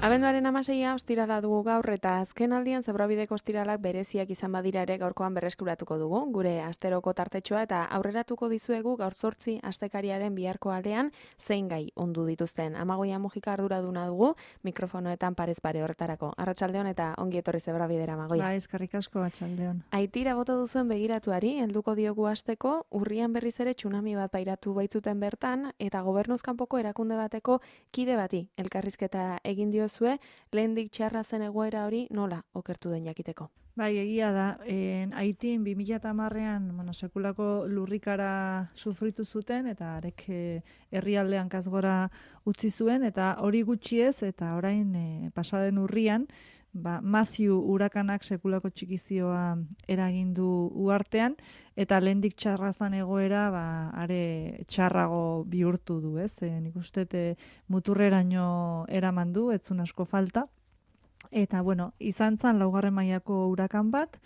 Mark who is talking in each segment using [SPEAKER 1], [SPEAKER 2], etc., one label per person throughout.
[SPEAKER 1] Abenduaren 16a ostirala dugu gaur eta azken aldian Zebrabideko ostiralak bereziak izan badira ere gaurkoan berreskuratuko dugu. Gure asteroko tartetxoa eta aurreratuko dizuegu gaur 8 astekariaren biharko aldean zein gai ondu dituzten. Amagoia Mujika arduraduna dugu, mikrofonoetan parez pare horretarako. Arratsaldeon eta ongi etorri Zebrabidera, Amagoia.
[SPEAKER 2] Ba, eskerrik asko atxaldeon.
[SPEAKER 1] Aitira bota duzuen begiratuari, helduko diogu hasteko, urrian berriz ere tsunami bat pairatu baitzuten bertan, eta gobernuz kanpoko erakunde bateko kide bati elkarrizketa egin diozue, lehendik txarra zen egoera hori nola okertu den jakiteko.
[SPEAKER 2] Bai, egia da, Haitin 2010ean sekulako lurrikara sufritu zuten, eta arek herrialdean kasgora utzi zuen, eta hori gutxi ez, eta orain pasaden urrian, Matthew urakanak sekulako txikizioa eragin du uhartean, eta lehendik txarra zen egoera, are txarrago bihurtu du, ez? Nik uste muturreraino eraman du, ez zuen asko falta. Eta, izan zen laugarren mailako urakan bat,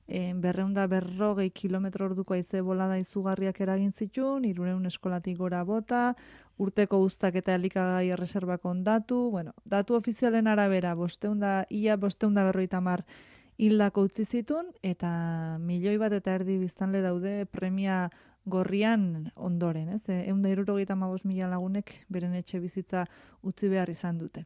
[SPEAKER 2] 240 kilometro orduko haize bolada izugarriak eragin zituen, 300 eskolatik gora bota, urteko uztak eta elikagai erreserbak ondatu, datu ofizialen arabera, ia 550 hildako utzi zituen, eta 1,5 milioi biztanle daude premia gorrian ondoren, ez? 175.000 lagunek beren etxe bizitza utzi behar izan dute.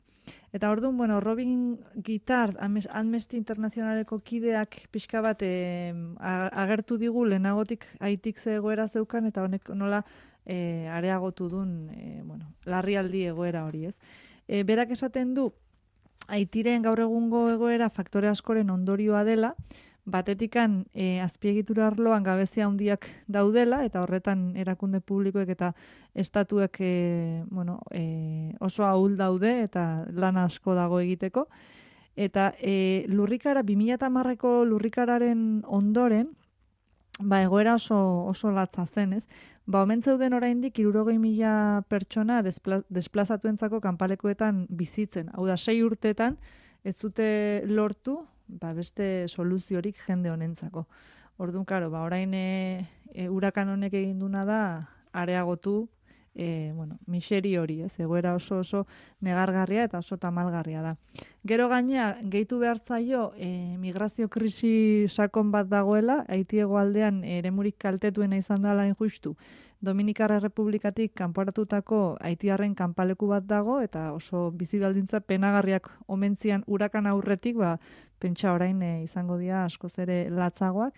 [SPEAKER 2] Eta orduan, Robin Guittard, Amnesty Internationaleko kideak pixka bat agertu digu lehenagotik Haitik ze egoera zeukan, eta honek nola areagotu duen larrialdi egoera hori, ez? Berak esaten du, Haitiren gaur egungo egoera faktore askoren ondorioa dela, batetikan azpiegitura arloan gabezia handiak daudela, eta horretan erakunde publikoek eta estatuek oso ahul daude, eta lan asko dago egiteko. Eta lurrikara, 2010ko lurrikararen ondoren, egoera oso latza zen, ez? Omen zeuden oraindik 60.000 pertsona desplazatuentzako kanpalekuetan bizitzen. Hau da, 6 urtetan ez zute lortu beste soluziorik jende honentzako. Orduan, orain urakan honek egin duna da areagotu miseri hori, ez? Egoera oso negargarria eta oso tamalgarria da. Gero gainea, gehitu behartzaio migrazio krisi sakon bat dagoela, Haiti hegoaldean eremurik kaltetuena izan dela injustu. Dominikarra Errepublikatik kanporatutako haitiarren kanpaleku bat dago, eta oso bizi baldintza penagarriak omentzian urakan aurretik, pentsa orain izango dira askoz ere latzagoak.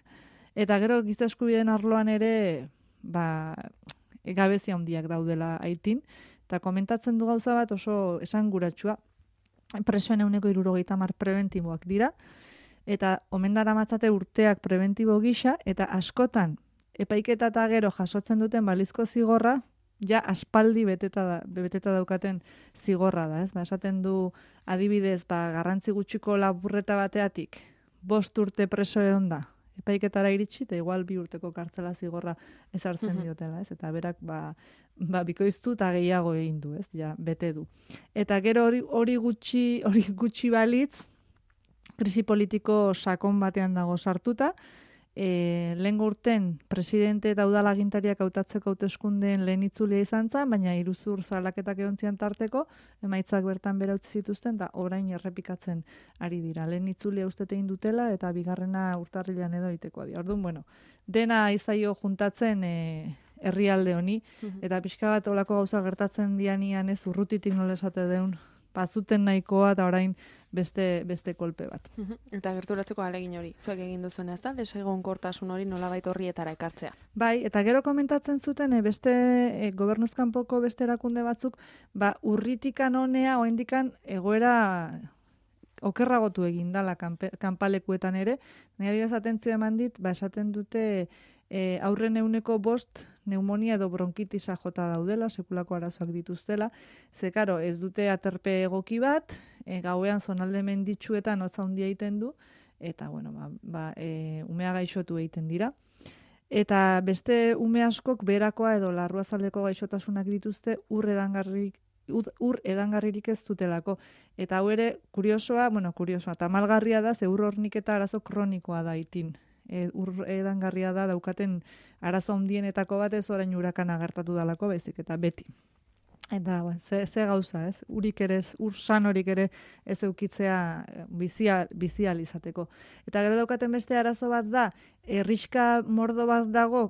[SPEAKER 2] Eta gero giza eskubideen arloan ere, gabezia handiak daudela Haitin, eta komentatzen du gauza bat oso esanguratsua. Presoen 70% preventiboak dira, eta omen daramatzate urteak preventibo gisa, eta askotan epaiketa eta gero jasotzen duten balizko zigorra, ja aspaldi beteta daukaten zigorra da, ez? Esaten du adibidez, garrantzi gutxiko lapurreta bateatik 5 urte preso egon da, epaiketara iritsi, eta igual 2 urteko kartzela zigorra ezartzen diotela, ez? Eta berak bikoiztu eta gehiago egin du, ez? Ja, bete du. Eta gero hori gutxi balitz, krisi politiko sakon batean dago sartuta, lehengo urten presidente eta udalagintariak hautatzeko hauteskundeen lehen itzulia izan zen, baina iruzur salaketak egon zian tarteko, emaitzak bertan bera utzi zituzten, eta orain errepikatzen ari dira. Lehen itzulia uste egin dutela, eta bigarrena urtarrilean edo egitekoa dira. Orduan, dena izaio juntatzen herrialde honi, eta pixka bat olako gauza gertatzen dianian ez urrutitik nola esate deun, bazuten nahikoa eta orain beste kolpe bat.
[SPEAKER 1] Eta gerturatzeko ahalegin hori, zuek egin duzuen, ez da? Desegonkortasun hori nolabait horrietara ekartzea.
[SPEAKER 2] Bai, eta gero komentatzen zuten beste gobernuz kanpoko beste erakunde batzuk, urritikan honea oraindikan egoera okerragotu egin dala kanpalekuetan ere. Nire atentzio eman dit, esaten dute aurren 5% pneumonia edo bronkitisa jota daudela, sekulako arazoak dituztela. Ze, karo, ez dute aterpe egoki bat, gauean zonalde menditsuetan hotza handia egiten du, eta, umea gaixotu egiten dira. Eta beste ume askok berakoa edo larruazaldeko gaixotasunak dituzte ur edangarririk ez dutelako. Eta hau ere, kuriosoa, tamalgarria da, ze ur horniketa arazo kronikoa da Haitin. Ur edangarria da daukaten arazo handienetako bat, ez orain urakana gertatu dalako, baizik eta beti. Eta, ze gauza, ez? Urik ere, ur sanorik ere ez eukitzea bizial izateko. Eta gero daukaten beste arazo bat da, herrixka mordo bat dago,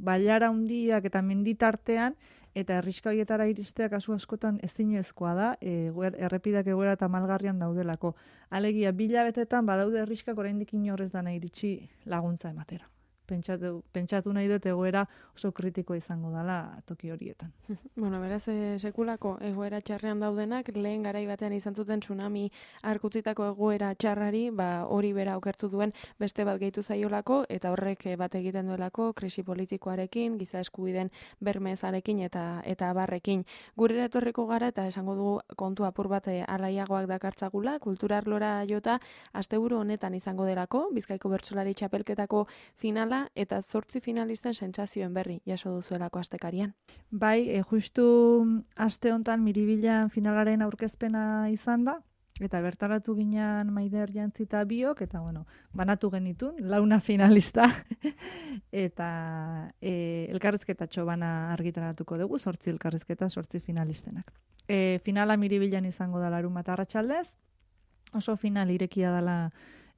[SPEAKER 2] bailara handiak eta menditartean, eta herrixka horietara iristea kasu askotan ezinezkoa da, errepidak egoera eta malgarrian daudelako. Alegia, 2 hilabetetan badaude herrixkak oraindik inorrez dana iritsi laguntza ematera. Pentsatu nahi dut egoera oso kritikoa izango dela toki horietan.
[SPEAKER 1] Bueno, beraz, sekulako egoera txarrean daudenak, lehen garai batean izan zuten tsunami arkutzitako egoera txarrari, hori bera okertu duen beste bat gehitu zaiolako, eta horrek bat egiten duelako, krisi politikoarekin, giza eskubideen bermezarekin eta abarrekin. Gure etorriko gara, eta esango dugu kontu apur bat alaiagoak dakartzagula, kultura arlora jota, asteburu honetan izango delako, Bizkaiko Bertsolari Txapelketako finala, eta 8 finalisten sentsazioen berri jaso duzuelako astekarian.
[SPEAKER 2] Bai, justu aste hontan Miribilan finalaren aurkezpena izan da, eta bertaratu ginen Maider Jantzi eta biok, eta banatu genitun, 4 finalista, eta elkarrizketatxo bana argitaratuko dugu, 8 elkarrizketa, 8 finalistenak. Finala Miribilan izango da larunbat arratsaldez, oso final irekia dela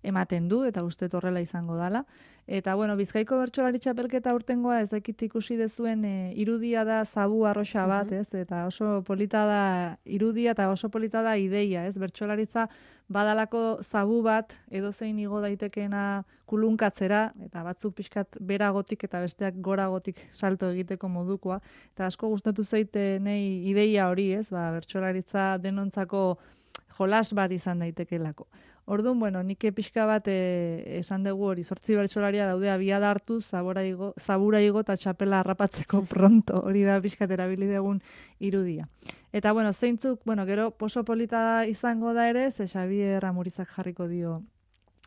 [SPEAKER 2] ematen du, eta uste horrela izango dela. Eta, Bizkaiko Bertsolari Txapelketa urtengoa ez dakit ikusi dezuen irudia da zabu arroxa bat, ez? Eta oso polita da irudia eta oso polita da ideia, ez? Bertsolaritza badalako zabu bat edozein igo daitekeena kulunkatzera, eta batzuk pixkat beragotik eta besteak goragotik salto egiteko modukoa. Eta asko gustatu zaite nei ideia hori, ez? Bertsolaritza denontzako jolas bat izan daitekelako. Orduan, nik pixka bat esan dugu hori, 8 bertsolaria daude abiada hartu, zabura igo eta txapela harrapatzeko pronto, hori da pixkat erabili dugun irudia. Eta, zeintzuk, gero poso polita izango da ere, ze Xabier Amurizak jarriko dio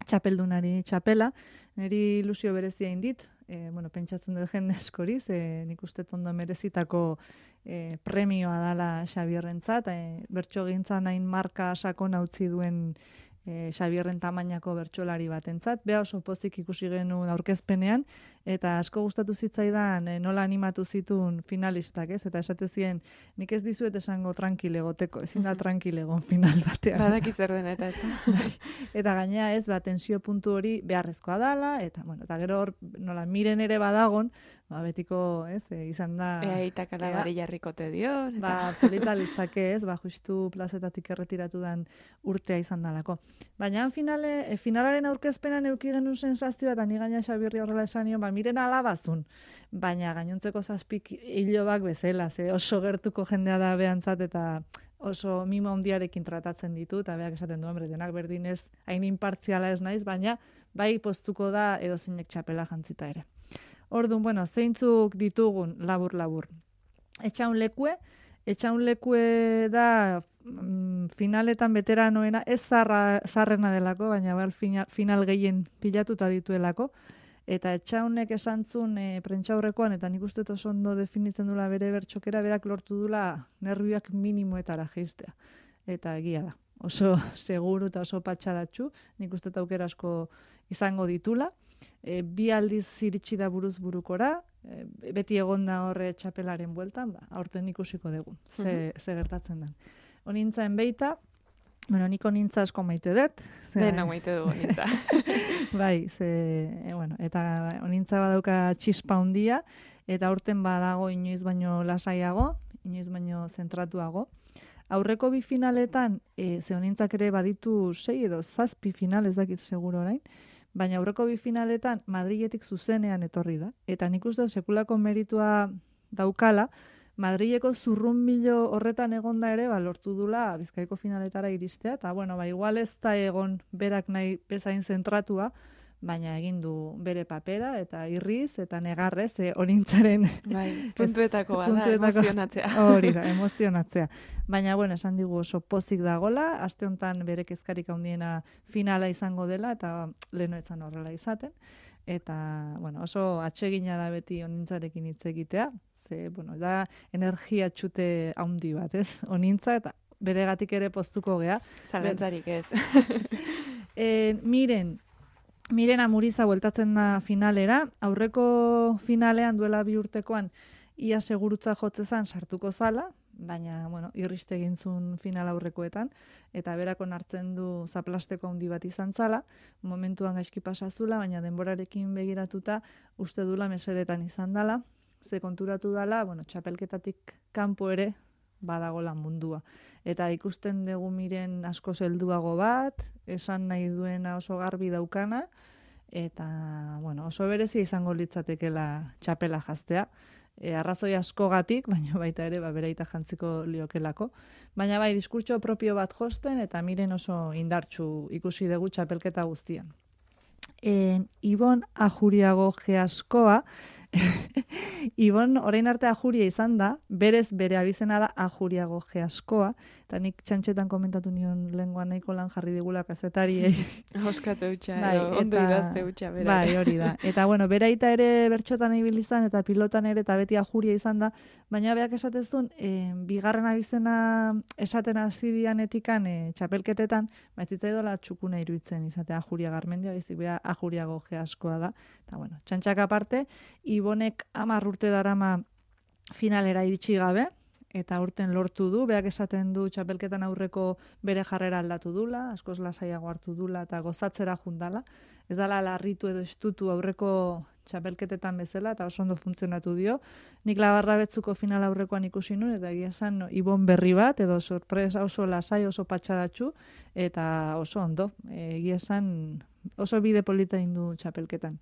[SPEAKER 2] txapeldunari txapela, niri ilusio berezia indit, pentsatzen dut jende askori, nik uste ondo merezitako premioa dala Xabierrentzat, bertso gintzan hain marka sakona utzi duen Xabierren tamainako bertsolari batentzat. Bea oso pozik ikusi genuen aurkezpenean, eta asko gustatu zitzaidan nola animatu zituen finalistak, ez? Eta esate zien, nik ez dizuet esango tranquile goteko, ezin da tranquile egon final batean.
[SPEAKER 1] Badaki zer den eta ez.
[SPEAKER 2] Eta gainea ez, tensio puntu hori beharrezkoa dala, eta gero hor, nola miren ere badagon, betiko, ez, izan da...
[SPEAKER 1] Eitak alabari jarrikote dio.
[SPEAKER 2] Polita litzake, ez, justu plazetatik erretiratu dan urtea izan dalako. Baina finalaren aurkezpenan euki genuen sensazioa, eta ni gaina Xabirri horrela esan nion, miren alabazun, baina gainontzeko 7 hilobak bezala, oso gertuko jendea da behantzat, eta oso mimo handiarekin tratatzen ditu, eta beak esaten du, denak berdinez, hain inpartziala ez naiz, baina bai poztuko da edozeinek txapela jantzita ere. Orduan, zeintzuk ditugun labur-labur. Etxaun lekue da finaletan veteranoena, ez zarrena delako, baina final gehien pilatuta dituelako. Eta etxaunek esan zuen prentxaurrekoan, eta nik uste oso ondo definitzen dula bere bertxokera, berak lortu dula nervioak minimoetara jeistea. Eta egia da. Oso seguru eta oso patxadatxu, nik uste aukera asko izango ditula. 2 aldiz iritsi da buruz burukora, beti egonda horre txapelaren bueltan, aurten ikusiko dugu, ze gertatzen den. Onintzaen beita, nik onintza asko maite dut.
[SPEAKER 1] Dena maite dugu onintza.
[SPEAKER 2] Bai, eta onintza badauka txispa handia, eta aurten badago inoiz baino lasaiago, inoiz baino zentratuago. Aurreko 2 finaletan, ze honintzak ere baditu 6 edo 7 final, ez dakit seguro orain, baina aurreko 2 finaletan Madriletik zuzenean etorri da. Eta nik uste sekulako meritua daukala, Madrileko zurrunbilo horretan egonda ere, lortu dula Bizkaiko finaletara iristea, eta igual ez da egon berak nahi bezain zentratua, baina egin du bere papera, eta irriz, eta negarrez, honintzaren...
[SPEAKER 1] Puntuetako bada, emozionatzea.
[SPEAKER 2] Hori da, emozionatzea. Baina, esan digu oso pozik dagola, aste honetan bere kezkarik handiena finala izango dela, eta lehenoetzan horrela izaten. Eta, oso atsegina da beti honintzarekin hitz egitea, da energia txute handi bat, ez? Honintza, eta beregatik ere poztuko gea.
[SPEAKER 1] Zalantzarik ez.
[SPEAKER 2] Miren Amuriza bueltatzen da finalera, aurreko finalean duela 2 urtekoan ia segurutza jotzezan sartuko zala, baina, bueno, irriste egin zuen final aurrekoetan, eta berako hartzen du zaplasteko handi bat izan zala, momentuan gaizki pasazula, baina denborarekin begiratuta uste dula mesedetan izan dala, ze konturatu dala, bueno, txapelketatik kanpo ere badagola mundua. Eta ikusten dugu miren asko helduago bat, esan nahi duena oso garbi daukana, eta, bueno, oso berezia izango litzatekela txapela jaztea. Arrazoi askogatik, baina baita ere beraita jantziko liokelako. Baina bai, diskurtso propio bat josten, eta miren oso indartsu ikusi dugu txapelketa guztian. Ibon Ajuriago Geaskoa, Ibon orain arte Ajuria izan da, berez bere abizena da Ajuriago Geaskoa, eta nik txantxetan komentatu nion lenguan nahiko lan jarri digula kazetariei.
[SPEAKER 1] Oskatu utxa,
[SPEAKER 2] Bai,
[SPEAKER 1] ondo idazte utxa, bera.
[SPEAKER 2] Bai, hori da. Eta bueno, beraita ere bertxotan ibili izan, eta pilotan ere, eta beti Ajuria izan da, baina beak esatezun, bigarren abizena esaten hasi dianetikan txapelketetan, baitzitzaidola txukuna iruditzen izatea Ajuria Garmendia, baizik bea Ajuriago Geaskoa da. Eta bueno, txantxak aparte, Ibonek 10 urte darama finalera iritsi gabe, eta urten lortu du, beak esaten du txapelketan aurreko bere jarrera aldatu dula, askoz lasaiago hartu dula eta gozatzera jundala. Ez dala larritu edo estutu aurreko txapelketetan bezala eta oso ondo funtzionatu dio. Nik Labarrabetzuko final aurrekoan ikusi nuen eta egia esan Ibon berri bat edo sorpresa oso lasai, oso patxadatxu eta oso ondo. Egia esan oso bide polita indu txapelketan.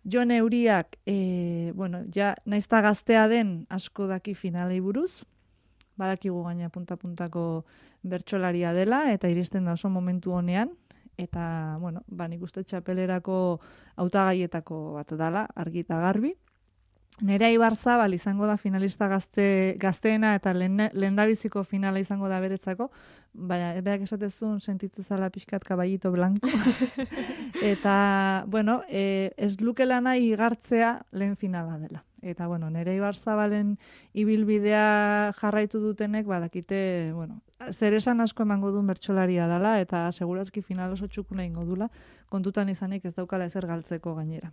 [SPEAKER 2] Jon Euriak, bueno, ja naizta gaztea den asko daki finalei buruz, badakigu gaina punta-puntako bertsolaria dela, eta iristen da oso momentu honean, eta, bueno, nik uste txapelerako hautagaietako bat dala, argi eta garbi. Nerea Ibarzabal izango da finalista gazteena eta lehendabiziko finala izango da beretzako, baina berak esatezun sentitzezala pixkat kaballito blanco. Eta, bueno, ez lukela nahi igartzea lehen finala dela. Eta, bueno, Nerea Ibarzabalen ibilbidea jarraitu dutenek, badakite, bueno, zer esan asko emango duen bertsolaria dela, eta segurazki final oso txukuna ingo dula, kontutan izanik ez daukala ezer galtzeko gainera.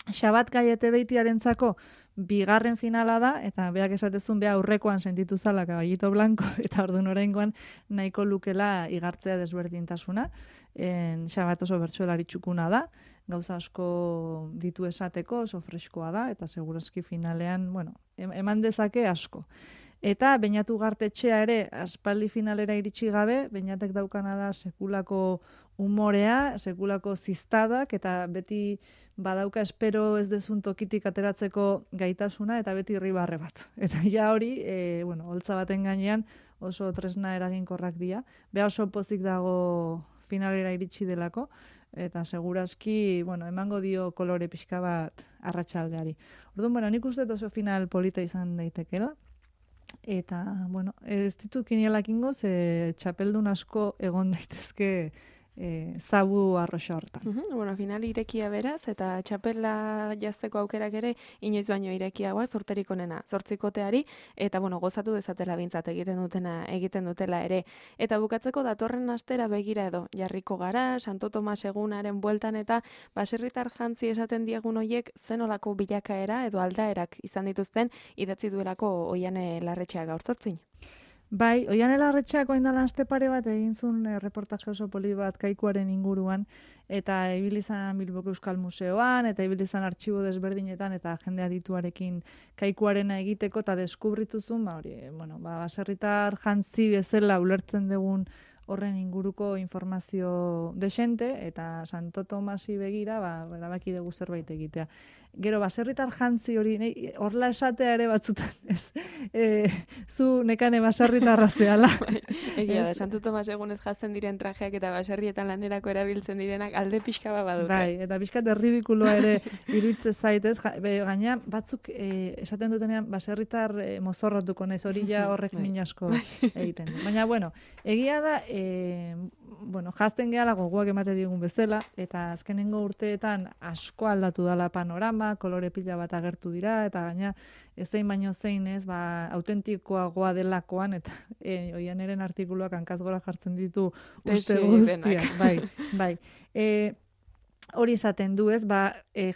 [SPEAKER 2] Xabat Gaiete Beitiarentzako bigarren finala da, eta beak esatezun bea aurrekoan sentitu zala kaballito blanco, eta orduan oraingoan nahiko lukela igartzea desberdintasuna. Xabat oso bertsolari txukuna da, gauza asko ditu esateko, oso freskoa da, eta segurazki finalean, bueno, eman dezake asko. Eta Beñatu Gartetxea ere aspaldi finalera iritsi gabe, Beñatek daukana da sekulako umorea, sekulako ziztadak, eta beti badauka espero ez dezun tokitik ateratzeko gaitasuna, eta beti irribarre bat. Eta ja hori, bueno, holtza baten gainean oso tresna eraginkorrak dira. Bea oso pozik dago finalera iritsi delako, eta segurazki, bueno, emango dio kolore pixka bat arratsaldeari. Orduan, bueno, nik uste oso final polita izan daitekela. Eta, bueno, ez ditut kinielak ingo, ze txapeldun asko egon daitezke zabu arroxa hortan.
[SPEAKER 1] Bueno, final irekia beraz, eta txapela jazteko aukerak ere inoiz baino irekiagoa, zorterik onena, zortzikoteari, eta bueno, gozatu dezatela bintzat egiten dutela ere. Eta bukatzeko datorren astera begira edo, jarriko gara, Santo Tomas egunaren bueltan eta baserritar jantzi esaten diegun hoiek zenolako bilakaera edo aldaerak izan dituzten idatzi duelako Oiane Larretxea gaur zortzin.
[SPEAKER 2] Bai, Oiane Larretxeak oindala aste pare bat egin zuen reportaje oso poli bat kaikuaren inguruan, eta ibilizan Bilboko Euskal Museoan, eta ibilizan artxibo desberdinetan, eta jende adituarekin kaikuarena egiteko, eta deskubrituzun, bueno, baserritar jantzi bezala ulertzen dugun horren inguruko informazio desente, eta Santo Tomasi begira, erabaki dugu zerbait egitea. Gero, baserritar jantzi hori, horla esatea ere batzutan, ez? Zu nekane baserritarra zehala.
[SPEAKER 1] Egia da, Santo Tomas egunez jazten diren trajeak eta baserrietan lanerako erabiltzen direnak alde pixka bat badute.
[SPEAKER 2] Bai, eta pixkat erridikuloa ere iruditzen zaitez. Gaina, batzuk esaten dutenean baserritar mozorrotuko naiz, hori ja horrek min asko egiten du. Baina, bueno, egia da, bueno, jazten gehala gogoak emate digun bezala, eta azkenengo urteetan asko aldatu dala panorama, kolore pila bat agertu dira, eta gaina ezein baino zein ez, autentikoagoa delakoan, eta Oianeren artikuluak hankazgora jartzen ditu uste guztiak. Bai. Hori esaten du ez,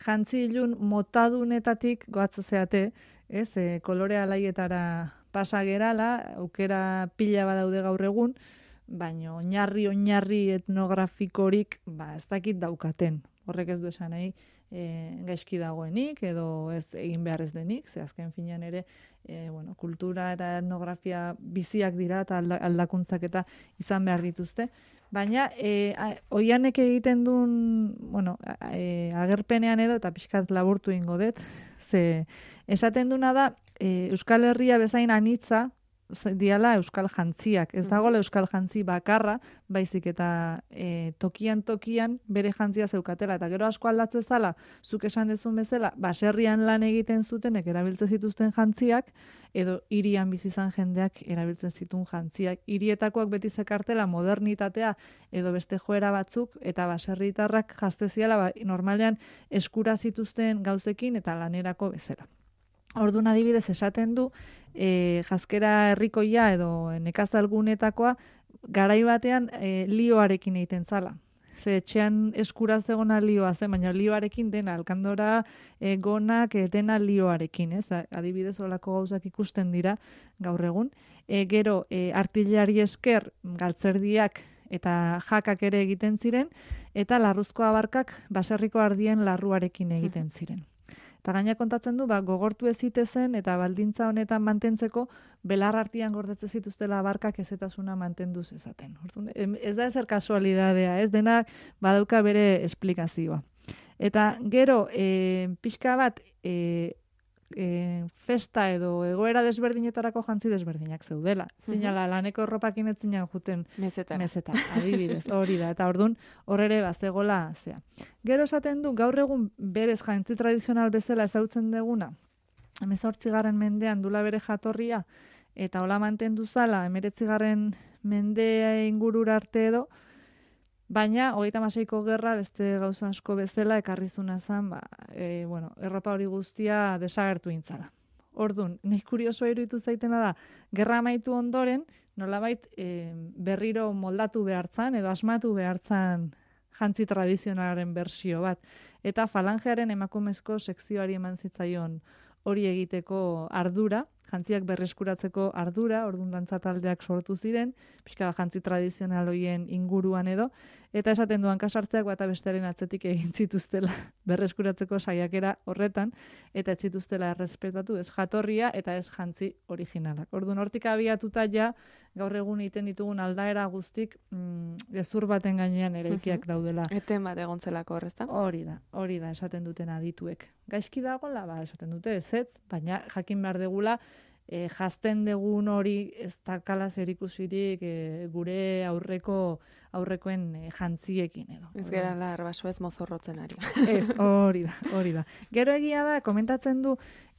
[SPEAKER 2] jantzi ilun motadunetatik goatza zeate, ez, kolore alaietara pasa gerala, aukera pila badaude gaur egun, baina oinarri etnografikorik ez dakit daukaten. Horrek ez du esan nahi gaizki dagoenik edo ez egin behar ez denik, ze azken finean ere kultura eta etnografia biziak dira eta aldakuntzak eta izan behar dituzte. Baina Oianek egiten duen agerpenean edo eta pixkat laburtu ingo dut, ze esaten duna da Euskal Herria bezain anitza diala euskal jantziak. Ez dagoela euskal jantzi bakarra, baizik eta tokian bere jantzia zeukatela. Eta gero asko aldatzen zala, zuk esan dezun bezala, baserrian lan egiten zutenek erabiltzen zituzten jantziak, edo hirian bizi izan jendeak erabiltzen zituen jantziak. Hirietakoak beti zekartela modernitatea edo beste joera batzuk, eta baserritarrak jazteziala normalean eskura zituzten gauzekin eta lanerako bezala. Orduan adibidez esaten du, jazkera herrikoia edo nekazalgunetakoa garai batean lioarekin egiten zala. Ze etxean eskura zegona lioa zen, baina lioarekin dena, alkandora gonak dena lioarekin, ez? Adibidez olako gauzak ikusten dira gaur egun. Gero artillari esker galtzerdiak eta jakak ere egiten ziren, eta larruzko abarkak baserriko ardien larruarekin egiten ziren. Eta gaina kontatzen du, gogortu ez zitezen eta baldintza honetan mantentzeko belar artean gordetzen zituztela abarkak ezetasuna mantendu zezaten. Ez da ezer kasualidadea, ez dena badauka bere esplikazioa. Eta gero, pixka bat, festa edo egoera desberdinetarako jantzi desberdinak zeudela. Zinala, laneko erropakin ez zinan juten mezetara, adibidez, hori da. Eta orduan, hor ere bazegola zea. Gero esaten du, gaur egun berez jantzi tradizional bezala ezautzen deguna, 18. mendean dula bere jatorria, eta hola mantendu zala, 19. mendea ingurura arte edo, baina, 36ko gerra, beste gauza asko bezala, ekarrizuna zen, erropa hori guztia desagertu intzala. Orduan, nahi kuriosoa iruditu zaitena da, gerra amaitu ondoren, nolabait berriro moldatu behartzan, edo asmatu behartzan jantzi tradizionalaren bersio bat. Eta falangearen emakumezko sekzioari eman zitzaion hori egiteko ardura, jantziak berreskuratzeko ardura, orduan dantza taldeak sortu ziren, pixka jantzi tradizional horien inguruan edo, eta esaten duan kasartzeak bata bestearen atzetik egin zituztela berreskuratzeko saiakera horretan, eta ez zituztela errespetatu, ez jatorria eta ez jantzi originalak. Orduan hortik abiatuta ja, gaur egun egiten ditugun aldaera guztik gezur baten gainean eraikiak daudela.
[SPEAKER 1] Eten bat egontzelako horrezta?
[SPEAKER 2] Hori da, esaten duten adituek. Gaizki dagoela, esaten dute ezetz, baina jakin behar degula, jazten degun hori ez dakala zerikusirik gure aurrekoen jantziekin edo.
[SPEAKER 1] Ez gara larbasu ez mozorrotzen ari.
[SPEAKER 2] Ez, hori da. Gero egia da, komentatzen du,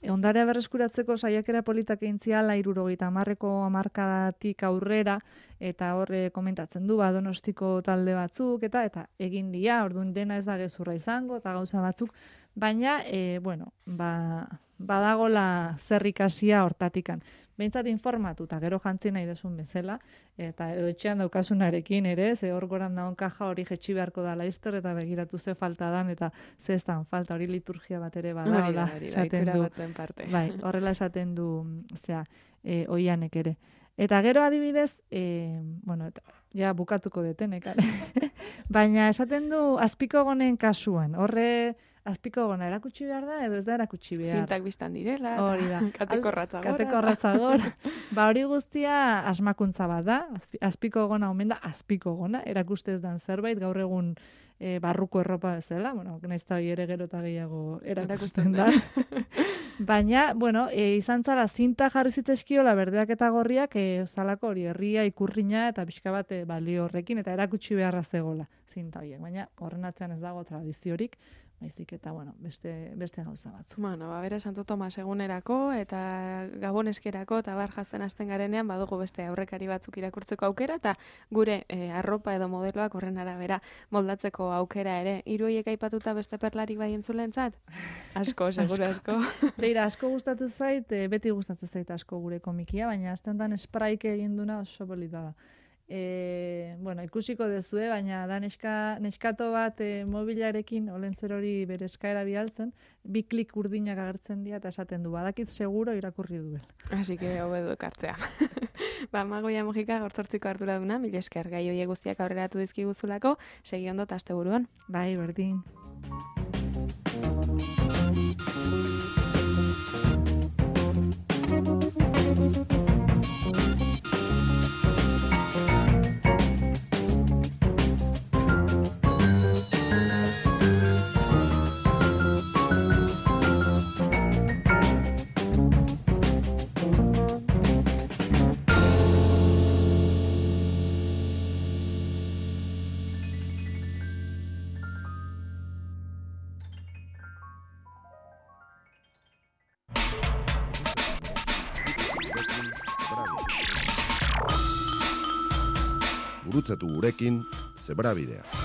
[SPEAKER 2] ondarea berreskuratzeko saiakera politak egin ziala 70ko hamarkadatik aurrera, eta horre komentatzen du, Donostiko talde batzuk, eta egin dia, orduan dena ez da gezurra izango, eta gauza batzuk, baina, badagola zer ikasia hortatikan. Behintzat informatu, eta gero jantzi nahi desun bezala, eta edo etxean daukasunarekin ere, ze hor goran daun kaja hori jetxi beharko da laizter, eta begiratu ze falta dan, eta ze ez dan falta, hori liturgia bat ere badagola esaten du. Bai, horrela esaten du, Oianek ere. Eta gero adibidez, ja bukatuko detenek, baina esaten du azpiko gonen kasuan, horre azpiko gona erakutsi behar da, edo ez da erakutsi behar.
[SPEAKER 1] Zintak biztan direla,
[SPEAKER 2] hori da.
[SPEAKER 1] kateko
[SPEAKER 2] ratzagor. Hori guztia asmakuntza bat da, azpiko gona omen da, azpiko gona, erakustez dan zerbait, gaur egun barruko erropa bezala, nahiz eta ere gero eta gehiago erakusten da. Baina, izan zara zinta jarri zitzeskiola berdeak eta gorriak, zalako hori herria, ikurrina eta pixka bat balio horrekin, eta erakutsi beharra zegola zinta horiek. Baina horren atzean ez dago tradiziorik, baizik eta, beste gauza batzu.
[SPEAKER 1] Bera Santo Tomas egunerako eta Gabon-eskerako eta bar jazten hasten garenean badugu beste aurrekari batzuk irakurtzeko aukera eta gure arropa edo modeloak horren arabera moldatzeko aukera ere. Hiru horiek aipatuta beste perlarik bai entzulentzat? Asko, seguro asko.
[SPEAKER 2] Beira, asko gustatu zait, beti gustatu zait asko gure komikia, baina azte honetan spraik egin duna oso polita da. Bueno, ikusiko dezue, baina da neskato bat mobilarekin olentzer hori bere eskaera bialtzen, 2 klik urdinak agertzen dira eta esaten du, badakit seguro irakurri duel.
[SPEAKER 1] Así que hobedu ekartzea. Amagoia Mojika gaurtzortziko arduraduna, mila esker gai horiek guztiak aurreratu dizkiguzulako, segi ondo eta asteburuan.
[SPEAKER 2] Bai, berdin.
[SPEAKER 3] Gurutzatu gurekin, Zebrabidea.